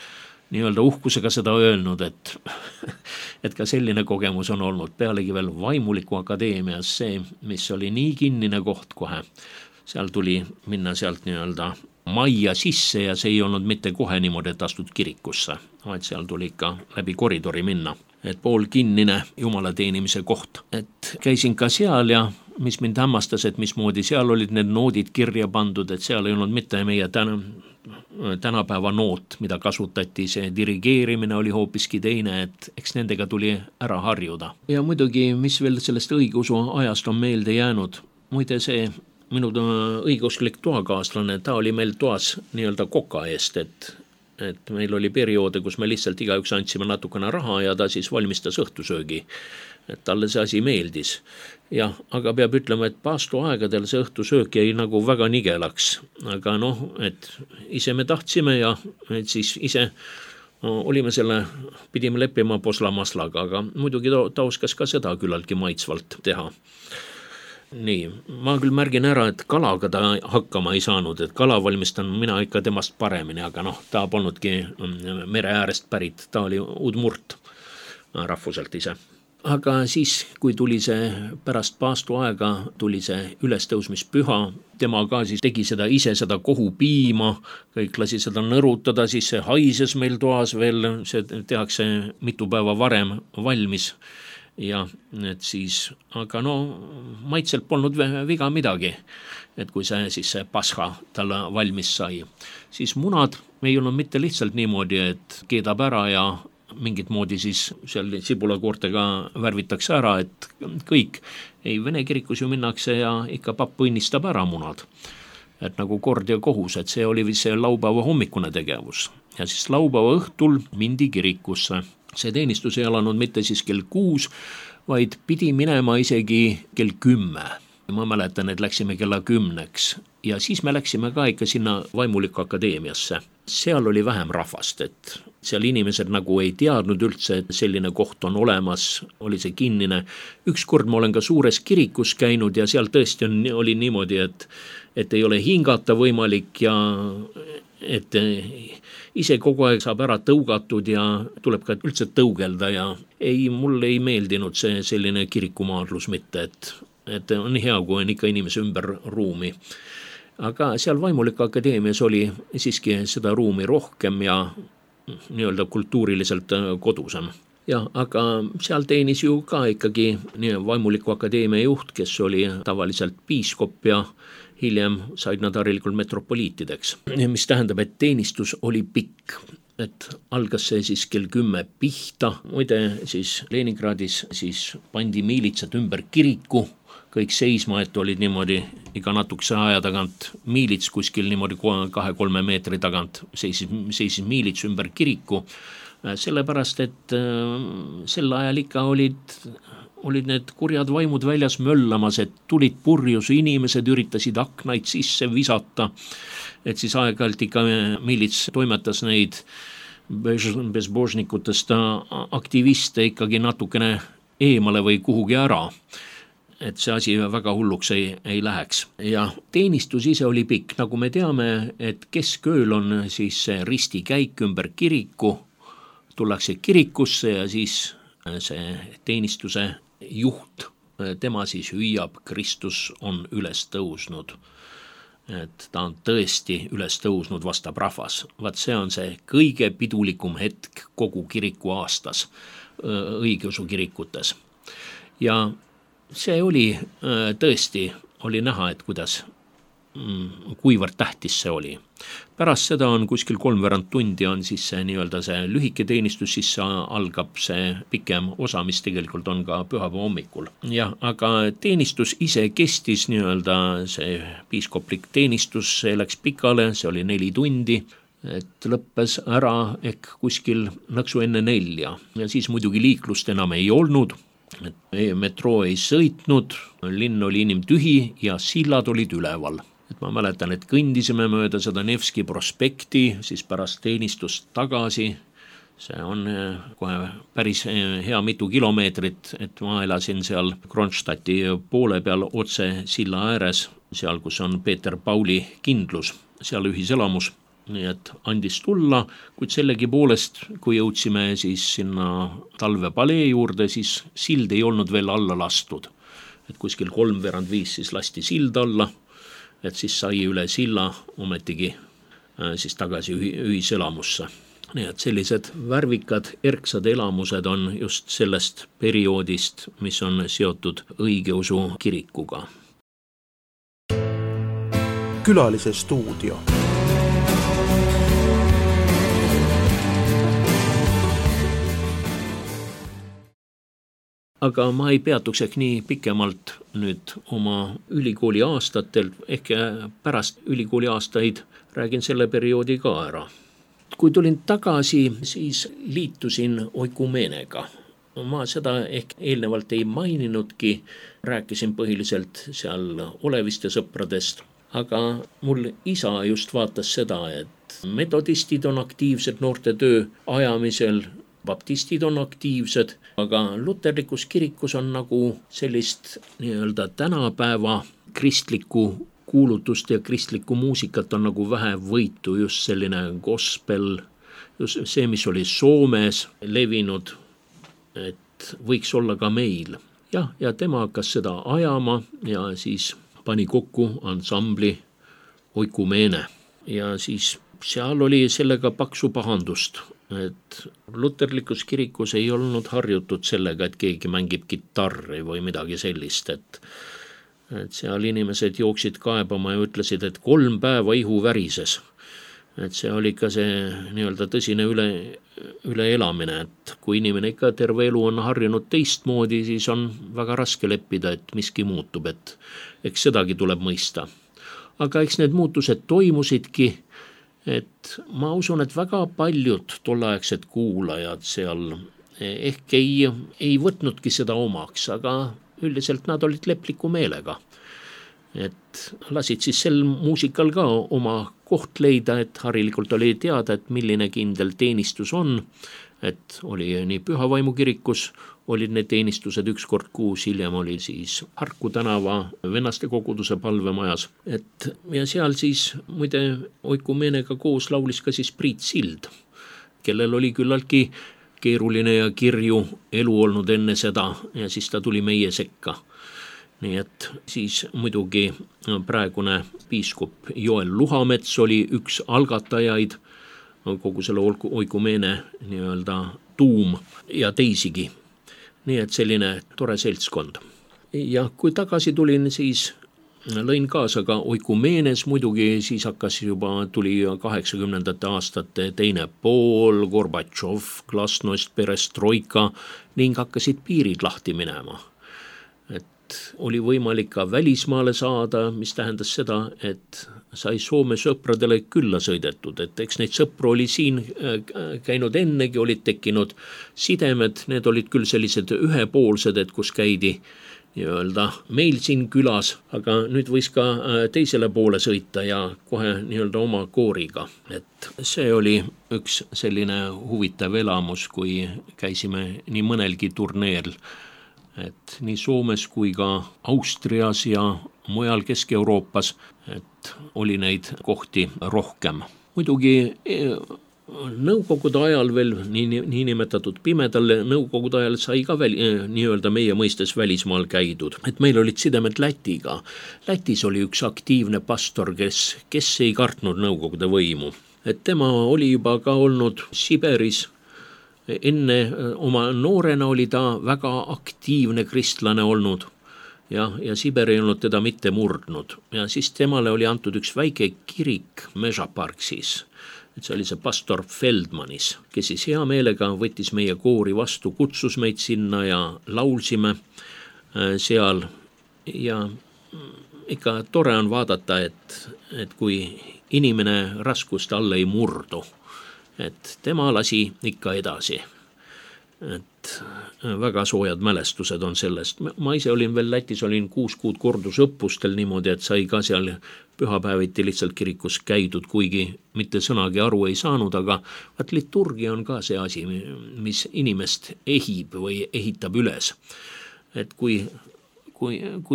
nii-öelda uhkusega seda öelnud, et ka selline kogemus on olnud. Pealegi veel Vaimuliku Akadeemias see, mis oli nii kinnine koht kohe. Seal tuli minna sealt nii-öelda majja sisse ja see ei olnud mitte kohe niimoodi, et astud kirikusse, vaid seal tuli ikka läbi koridori minna. Et pool kinnine jumala teenimise koht. Et käisin ka seal ja mis mind hämmastas, et mismoodi seal olid need noodid kirja pandud, et seal ei olnud mitte meie tänapäeva noot, mida kasutati, see dirigeerimine oli hoopiski teine, et eks nendega tuli ära harjuda. Ja muidugi, mis veel sellest õigeusu ajast on meelde jäänud, muide see minu õigeusklik toakaaslane, ta oli meil toas nii-öelda koka eest, et meil oli perioode, kus me lihtsalt igaüks andsime natukene raha ja ta siis valmistas õhtusöögi, et talle see asi meeldis. Aga peab ütlema, et paastu aegadel see õhtusöök jäi nagu väga nigelaks, aga et ise me tahtsime ja et siis ise olime pidime leppima poslamaslaga, aga muidugi ta oskas ka seda küllaltki maitsvalt teha. Nii, ma küll märgin ära, et kalaga ta hakkama ei saanud, et kala valmistan mina ikka temast paremini, aga ta polnudki mere äärest pärit, ta oli udmurt rahvuselt ise. Aga siis, kui tuli see pärast paastu aega, tuli see ülestõusmispüha, tema ka siis tegi ise seda kohupiima, kõik lasi seda nõrutada, siis see haises meil toas veel, see tehakse mitu päeva varem valmis. Ja et siis, aga maitselt polnud viga midagi, et kui see pasha talle valmis sai. Siis munad ei olnud mitte lihtsalt niimoodi, et keedab ära ja mingit moodi siis seal sibulakoortega värvitakse ära, et kõik. Ei, Vene kirikus ju minnakse ja ikka papp õnnistab ära munad. Et nagu kord ja kohus, et see oli vist see laupäeva hommikune tegevus. Ja siis laupäeva õhtul mindi kirikusse. See teenistus ei alanud mitte siis kell 6, vaid pidi minema isegi kell 10. Ma mäletan, et läksime kella 10 ja siis me läksime ka ikka sinna Vaimuliku Akadeemiasse. Seal oli vähem rahvast, et seal inimesed nagu ei teadnud üldse, et selline koht on olemas, oli see kinnine. Ükskord ma olen ka suures kirikus käinud ja seal tõesti oli niimoodi, et ei ole hingata võimalik ja et ise kogu aeg saab ära tõugatud ja tuleb ka üldse tõugelda ja mulle ei meeldinud see selline kirikumaadlus mitte, et on hea, kui on ikka inimese ümber ruumi. Aga seal Vaimuliku Akadeemias oli siiski seda ruumi rohkem ja nii-öelda kultuuriliselt kodusem. Ja, aga seal teenis ju ka ikkagi Vaimuliku Akadeemia juht, kes oli tavaliselt piiskop ja hiljem said nad harilikult metropoliitideks. Mis tähendab, et teenistus oli pikk. Et algas see siis kell 10 pihta. Muide, siis Leningradis siis pandi miilitsad ümber kiriku, kõik seisma, et olid niimoodi iga natukese aja tagant miilits kuskil niimoodi 2-3 meetri tagant seisis miilits ümber kiriku, sellepärast, et sel ajal ikka olid need kurjad vaimud väljas möllamas, et tulid purjus, inimesed üritasid aknaid sisse visata, et siis aeg-ajalt ikka miilits toimetas neid bezbožnikutest aktiviste ikkagi natukene eemale või kuhugi ära, et see asi väga hulluks ei läheks. Ja teenistus ise oli pikk, nagu me teame, et keskööl on siis see ristikäik ümber kiriku, tullakse kirikusse ja siis see teenistuse juht, tema siis hüüab, Kristus on üles tõusnud. Et ta on tõesti üles tõusnud, vastab rahvas. Vaat see on see kõige pidulikum hetk kogu kiriku aastas, õigeusu kirikutes. Ja see oli tõesti, oli näha, et kuivõrd tähtis see oli. Pärast seda on kuskil 3/4 tundi on siis see nii-öelda see lühike teenistus, siis algab see pikem osa, mis tegelikult on ka pühapäeva hommikul. Ja, aga teenistus ise kestis nii-öelda see piiskoplik teenistus, see läks pikale, see oli 4 tundi, et lõppes ära ehk kuskil nõksu enne 4 ja siis muidugi liiklust enam ei olnud. Et metroo ei sõitnud, linn oli inimtühi ja sillad olid üleval. Et ma mäletan, et kõndisime mööda seda Nevski prospekti, siis pärast teenistust tagasi. See on kohe päris hea mitu kilomeetrit, et ma elasin seal Kronstadti poole peal otse silla ääres, seal kus on Peeter Pauli kindlus, seal ühiselamus. Nii et andis tulla, kuid sellegi poolest, kui jõudsime siis sinna talvepalee juurde, siis sild ei olnud veel alla lastud. Et kuskil 3:45 siis lasti sild alla, et siis sai üle silla ometigi siis tagasi ühiselamusse. Nii et sellised värvikad erksad elamused on just sellest perioodist, mis on seotud õigeusu kirikuga. Külalise stuudio. Aga ma ei peatuks ehk nii pikemalt nüüd oma ülikooli aastatel, ehk pärast ülikooli aastaid räägin selle perioodi ka ära. Kui tulin tagasi, siis liitusin oikumeenega. Ma seda ehk eelnevalt ei maininudki, rääkisin põhiliselt seal olevist ja sõpradest, aga mul isa just vaatas seda, et metodistid on aktiivsed noorte töö ajamisel, baptistid on aktiivsed, aga luterlikus kirikus on nagu sellist nii-öelda tänapäeva kristlikku kuulutust ja kristlikku muusikat on nagu vähe võitu, just selline gospel, just see, mis oli Soomes levinud, et võiks olla ka meil. Ja tema hakkas seda ajama ja siis pani kokku ansambli Oikumeene ja siis seal oli sellega paksu pahandust, et luterlikus kirikus ei olnud harjutud sellega, et keegi mängib kitarri või midagi sellist, et seal inimesed jooksid kaebama ja ütlesid, et 3 päeva ihu värises. et see oli ikka see nii-öelda tõsine üleelamine, et kui inimene ikka terve elu on harjunud teistmoodi, siis on väga raske leppida, et miski muutub, et eks sedagi tuleb mõista. Aga eks need muutused toimusidki, et ma usun, et väga paljud tolleaegsed kuulajad seal ehk ei võtnudki seda omaks, aga üldiselt nad olid lepliku meelega. Et lasid siis sel muusikal ka oma koht leida, et harilikult oli teada, et milline kindel teenistus on, et oli nii Pühavaimu kirikus, olid need teenistused 1 kord kuus, hiljem oli siis Harku tänava vennaste koguduse palvemajas, et ja seal siis muide oikumeenega koos laulis ka siis Priit Sild, kellel oli küllaltki keeruline ja kirju elu olnud enne seda ja siis ta tuli meie sekka. Nii et siis muidugi praegune piiskop Joel Luhamets oli üks algatajaid, kogu selle oikumeene nii-öelda tuum ja teisigi. Nii et selline tore seltskond. Ja kui tagasi tulin, siis lõin kaasa ka oikumeenes, muidugi siis tuli 80. aastate teine pool, Gorbatšov, glasnost, perestroika ning hakkasid piirid lahti minema. Oli võimalik ka välismaale saada, mis tähendas seda, et sai Soome sõpradele külla sõidetud, et eks neid sõpru oli siin käinud ennegi, olid tekkinud sidemed, need olid küll sellised ühepoolsed, et kus käidi nii-öelda meil siin külas, aga nüüd võis ka teisele poole sõita ja kohe nii-öelda oma kooriga, et see oli üks selline huvitav elamus, kui käisime nii mõnelgi turneel, et nii Soomes kui ka Austrias ja mujal Kesk-Euroopas, et oli neid kohti rohkem. Muidugi nõukogude ajal veel niinimetatud pimedal nõukogude ajal sai ka nii-öelda meie mõistes välismaal käidud, et meil olid sidemed Lätiga. Lätis oli üks aktiivne pastor, kes ei kartnud nõukogude võimu, et tema oli juba ka olnud Siberis. Enne oma noorena oli ta väga aktiivne kristlane olnud ja Siber ei olnud teda mitte murdnud ja siis temale oli antud üks väike kirik Mežaparksis, et see oli see pastor Feldmanis, kes siis hea meelega võttis meie koori vastu, kutsus meid sinna ja laulsime seal ja ikka tore on vaadata, et kui inimene raskuste alla ei murdu, et tema lasi ikka edasi, et väga soojad mälestused on sellest. Ma ise olin veel Lätis, olin 6 kuud kordusõppustel niimoodi, et sai ka seal pühapäeviti lihtsalt kirikus käidud, kuigi mitte sõnagi aru ei saanud, aga liturgia on ka see asi, mis inimest ehib või ehitab üles. Et kui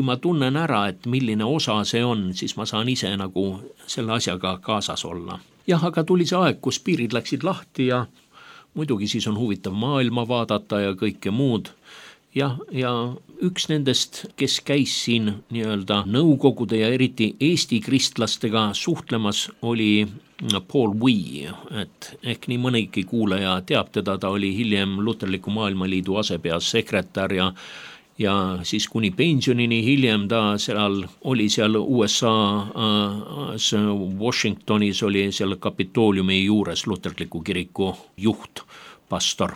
ma tunnen ära, et milline osa see on, siis ma saan ise nagu selle asjaga kaasas olla. Jah, aga tuli see aeg, kus piirid läksid lahti ja muidugi siis on huvitav maailma vaadata ja kõike muud. Ja üks nendest, kes käis siin nii-öelda nõukogude ja eriti Eesti kristlastega suhtlemas, oli Paul Wee, et ehk nii mõnigi kuulaja teab teda, ta oli hiljem Luterliku Maailmaliidu asepeasekretär ja siis kuni pensionini hiljem ta oli seal USA-s Washingtonis, oli seal Kapitooliumi juures Luterliku kiriku juht, pastor.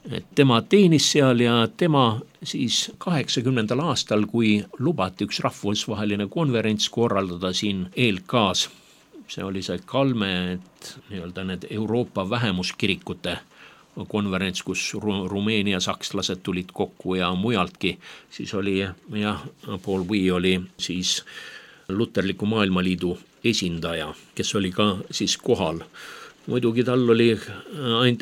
Et tema teenis seal ja tema siis 80. aastal, kui lubati üks rahvusvaheline konverents korraldada siin ELK-s, see oli see Kalme, et nii-öelda need Euroopa vähemuskirikute konverents, kus Rumeenia sakslased tulid kokku ja mujaltki, siis oli Paul Wee oli siis Luterliku Maailmaliidu esindaja, kes oli ka siis kohal. Muidugi tal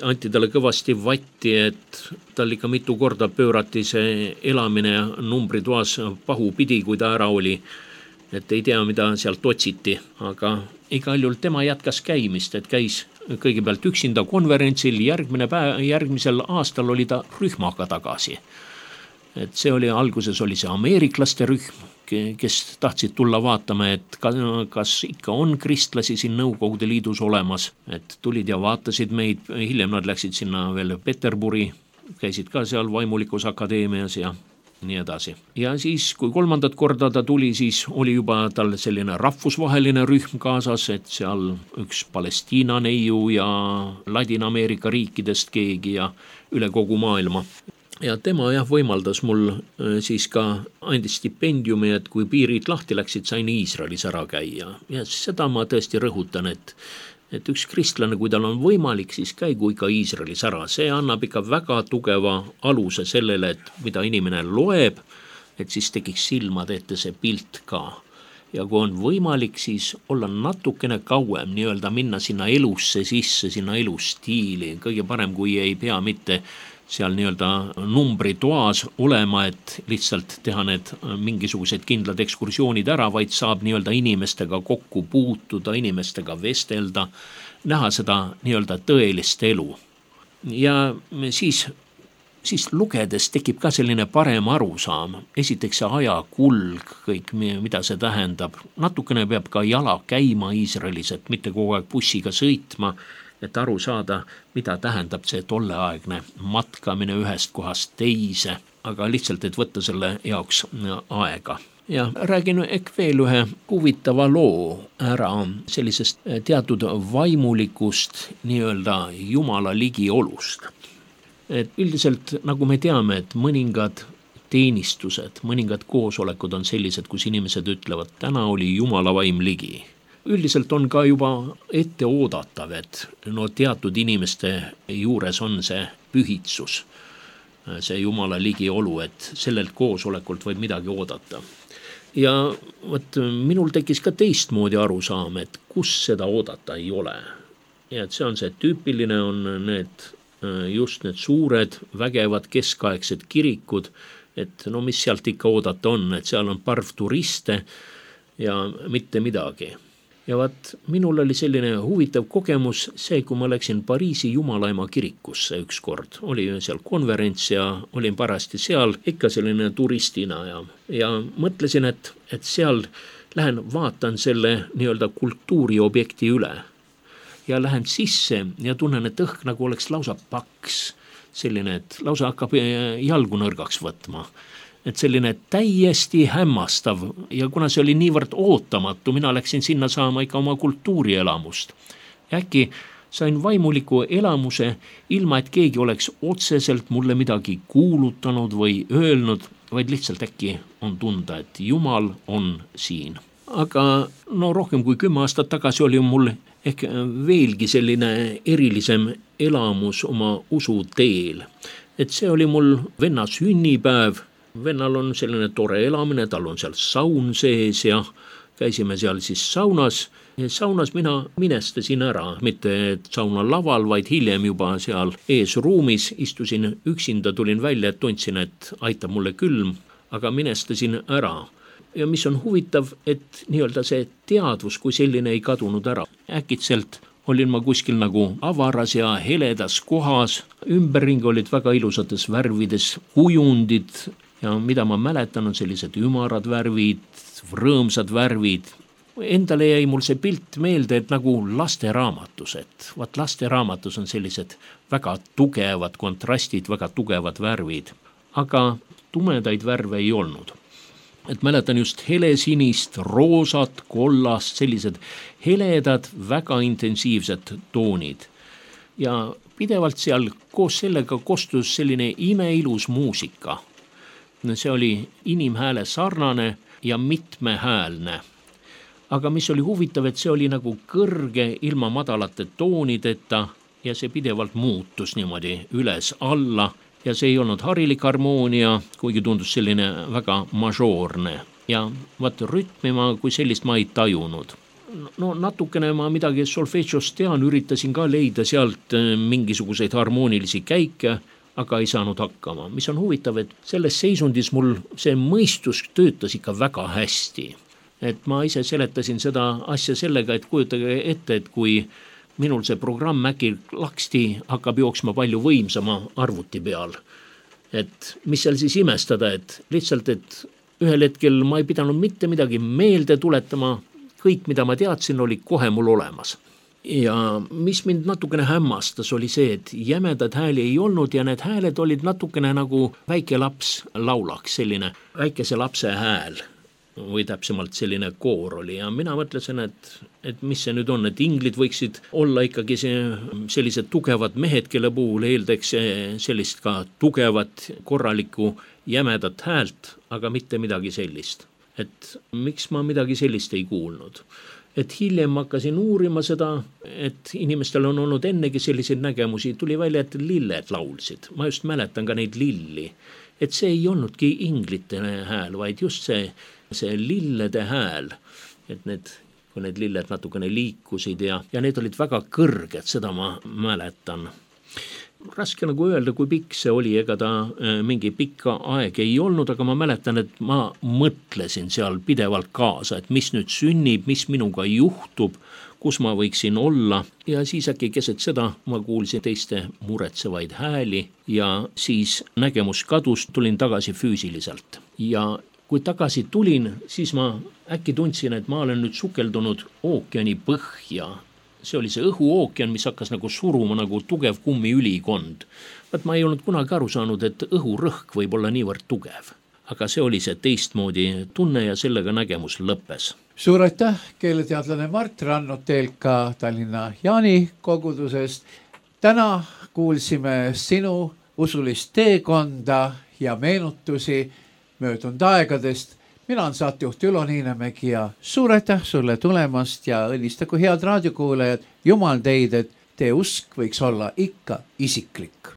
anti talle kõvasti vatti, et tal ikka mitu korda pöörati see elamine numbritoas pahupidi, kui ta ära oli, et ei tea, mida sealt otsiti, aga igal juhul tema jätkas käimist, et käis kõigepealt üksinda konverentsil, järgmisel aastal oli ta rühmaga tagasi. Et see oli, alguses oli see ameeriklaste rühm, kes tahtsid tulla vaatama, et kas ikka on kristlasi siin Nõukogude Liidus olemas, et tulid ja vaatasid meid, hiljem nad läksid sinna veel Peterburi, käisid ka seal Vaimulikus akadeemias ja nii edasi. Ja siis, kui 3. korda ta tuli, siis oli juba tal selline rahvusvaheline rühm kaasas, et seal üks Palestiina neiu ja Ladina-Ameerika riikidest keegi ja üle kogu maailma. Ja tema võimaldas mul siis ka andis stipendiumi, et kui piirid lahti läksid, sain Iisraelis ära käia. Ja seda ma tõesti rõhutan, et üks kristlane, kui tal on võimalik, siis käigu ikka Iisraelis ära. See annab ikka väga tugeva aluse sellele, et mida inimene loeb, et siis tekiks silmad ette see pilt ka. Ja kui on võimalik, siis olla natukene kauem, nii-öelda minna sinna elusse sisse, sinna elustiili. Kõige parem, kui ei pea mitte seal nii-öelda numbritoas olema, et lihtsalt teha need mingisugused kindlad ekskursioonid ära, vaid saab nii-öelda inimestega kokku puutuda, inimestega vestelda, näha seda nii-öelda tõelist elu. Ja siis lugedes tekib ka selline parem arusaam. Esiteks see ajakulg, kõik, mida see tähendab. Natukene peab ka jala käima Iisraelis, et mitte kogu aeg bussiga sõitma, et aru saada, mida tähendab see tolleaegne matkamine ühest kohast teise, aga lihtsalt, et võtta selle jaoks aega. Ja räägin veel ühe huvitava loo ära sellisest teatud vaimulikust nii-öelda Jumala ligiolust. Et üldiselt, nagu me teame, et mõningad teenistused, mõningad koosolekud on sellised, kus inimesed ütlevad, täna oli Jumala vaim ligi. Üldiselt on ka juba ette oodatav, et teatud inimeste juures on see pühitsus, see Jumala ligiolu, et sellelt koosolekult võib midagi oodata. Ja minul tekkis ka teistmoodi arusaam, et kus seda oodata ei ole. Ja et see on see tüüpiline, on just need suured, vägevad keskaegsed kirikud, et mis sealt ikka oodata on, et seal on parv turiste ja mitte midagi. Ja minul oli selline huvitav kogemus see, kui ma läksin Pariisi Jumalaema kirikusse üks kord. Oli seal konverents ja olin parasti seal ikka selline turistina ja mõtlesin, et seal lähen vaatan selle nii-öelda kultuuriobjekti üle. Ja lähen sisse ja tunnen, et õhk nagu oleks lausa paks. Selline, et lausa hakkab jalgu nõrgaks võtma. Et selline täiesti hämmastav ja kuna see oli niivõrd ootamatu, mina läksin sinna saama ikka oma kultuurielamust. Äkki sain vaimuliku elamuse ilma, et keegi oleks otseselt mulle midagi kuulutanud või öelnud, vaid lihtsalt äkki on tunda, et Jumal on siin. Aga rohkem kui 10 aastat tagasi oli mul ehk veelgi selline erilisem elamus oma usu teel. Et see oli mul venna sünnipäev. Vennal on selline tore elamine, tal on seal saun sees ja käisime seal siis saunas. Saunas mina minestasin ära, mitte sauna laval, vaid hiljem juba seal eesruumis istusin üksinda, tulin välja, et tundsin, et aitab mulle külm, aga minestasin ära. Ja mis on huvitav, et nii-öelda see teadvus kui selline ei kadunud ära. Äkitselt olin ma kuskil nagu avaras ja heledas kohas, ümberringi olid väga ilusates värvides kujundid, ja mida ma mäletan, on sellised ümarad värvid, rõõmsad värvid. Endale jäi mul see pilt meelde, et nagu lasteraamatus, et lasteraamatus on sellised väga tugevad kontrastid, väga tugevad värvid, aga tumedaid värve ei olnud. Et mäletan just helesinist, roosat, kollast, sellised heledad, väga intensiivsed toonid. Ja pidevalt seal koos sellega kostus selline imeilus muusika. See oli inimhääle sarnane ja mitmehäälne. Aga mis oli huvitav, et see oli nagu kõrge ilma madalate toonideta ja see pidevalt muutus niimoodi üles alla ja see ei olnud harilik harmoonia, kuigi tundus selline väga mažoorne. Ja rütmi ma kui sellist ma ei tajunud. Natukene ma midagi solfeggiost tean, üritasin ka leida sealt mingisuguseid harmoonilisi käike, aga ei saanud hakkama. Mis on huvitav, et selles seisundis mul see mõistus töötas ikka väga hästi. Et ma ise seletasin seda asja sellega, et kujutage ette, et kui minul see programm äkki laksti hakkab jooksma palju võimsama arvuti peal. Et mis seal siis imestada, et lihtsalt, et ühel hetkel ma ei pidanud mitte midagi meelde tuletama, kõik, mida ma teadsin, oli kohe mul olemas. ja mis mind natukene hämmastas, oli see, et jämedad hääli ei olnud ja need hääled olid natukene nagu väike laps laulaks, selline väikese lapse hääl või täpsemalt selline koor oli ja mina mõtlesin, et mis see nüüd on, et inglid võiksid olla ikkagi sellised tugevad mehed, kelle puhul eeldaks sellist ka tugevat, korralikku, jämedat häält, aga mitte midagi sellist. Et miks ma midagi sellist ei kuulnud? Et hiljem hakkasin uurima seda, et inimestel on olnud ennegi selliseid nägemusi, tuli välja, et lilled laulsid. Ma just mäletan ka neid lilli. Et see ei olnudki inglite hääl, vaid just see lillede hääl, et kui need lilled natukene liikusid ja need olid väga kõrged, seda ma mäletan. Raske nagu öelda, kui pikk see oli, ega ta mingi pikka aeg ei olnud, aga ma mäletan, et ma mõtlesin seal pidevalt kaasa, et mis nüüd sünnib, mis minuga juhtub, kus ma võiksin olla ja siis äkki keset seda ma kuulsin teiste muretsevaid hääli ja siis nägemus kadus, tulin tagasi füüsiliselt ja kui tagasi tulin, siis ma äkki tundsin, et ma olen nüüd sukeldunud ookeani põhja. See oli see õhuookean, mis hakkas nagu suruma nagu tugev kummiülikond. Ma ei olnud kunagi aru saanud, et õhurõhk võib olla niivõrd tugev. Aga see oli see teistmoodi tunne ja sellega nägemus lõppes. Suur aitäh, keeleteadlane Mart Rannut TLK Tallinna Jaani kogudusest. Täna kuulsime sinu usulist teekonda ja meenutusi möödunud aegadest. Mina olen saatejuht Ülo Niinemägi ja suur aitäh sulle tulemast ja õnnistagu head raadiokuulajad, Jumal teid, et teie usk võiks olla ikka isiklik.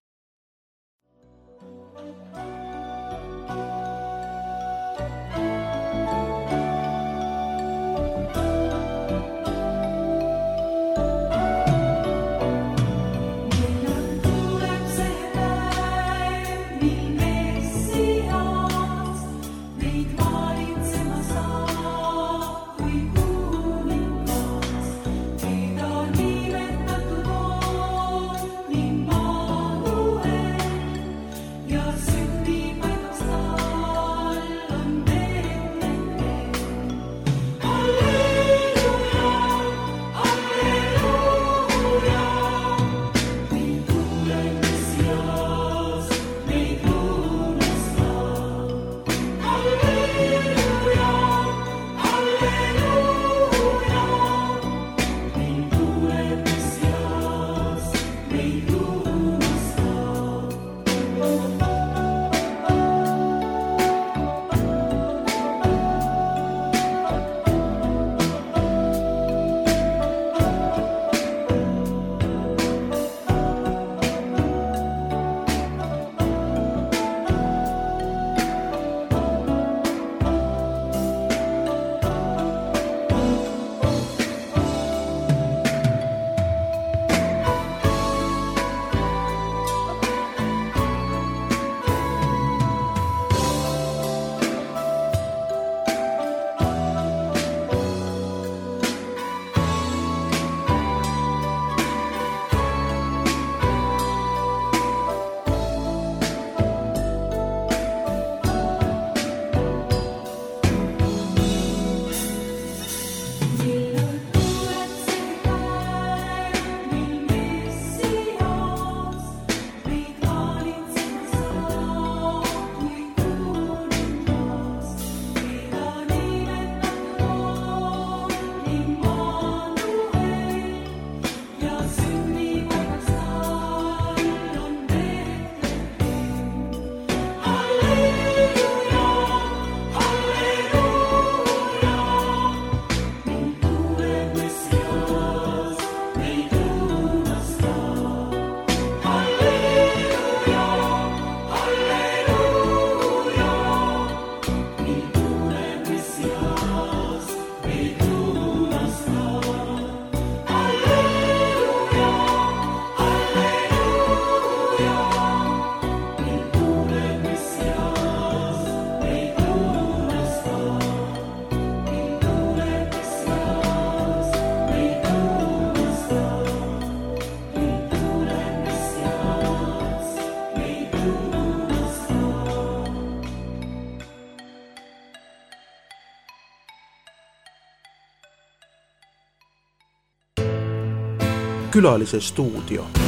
Külalise stuudio.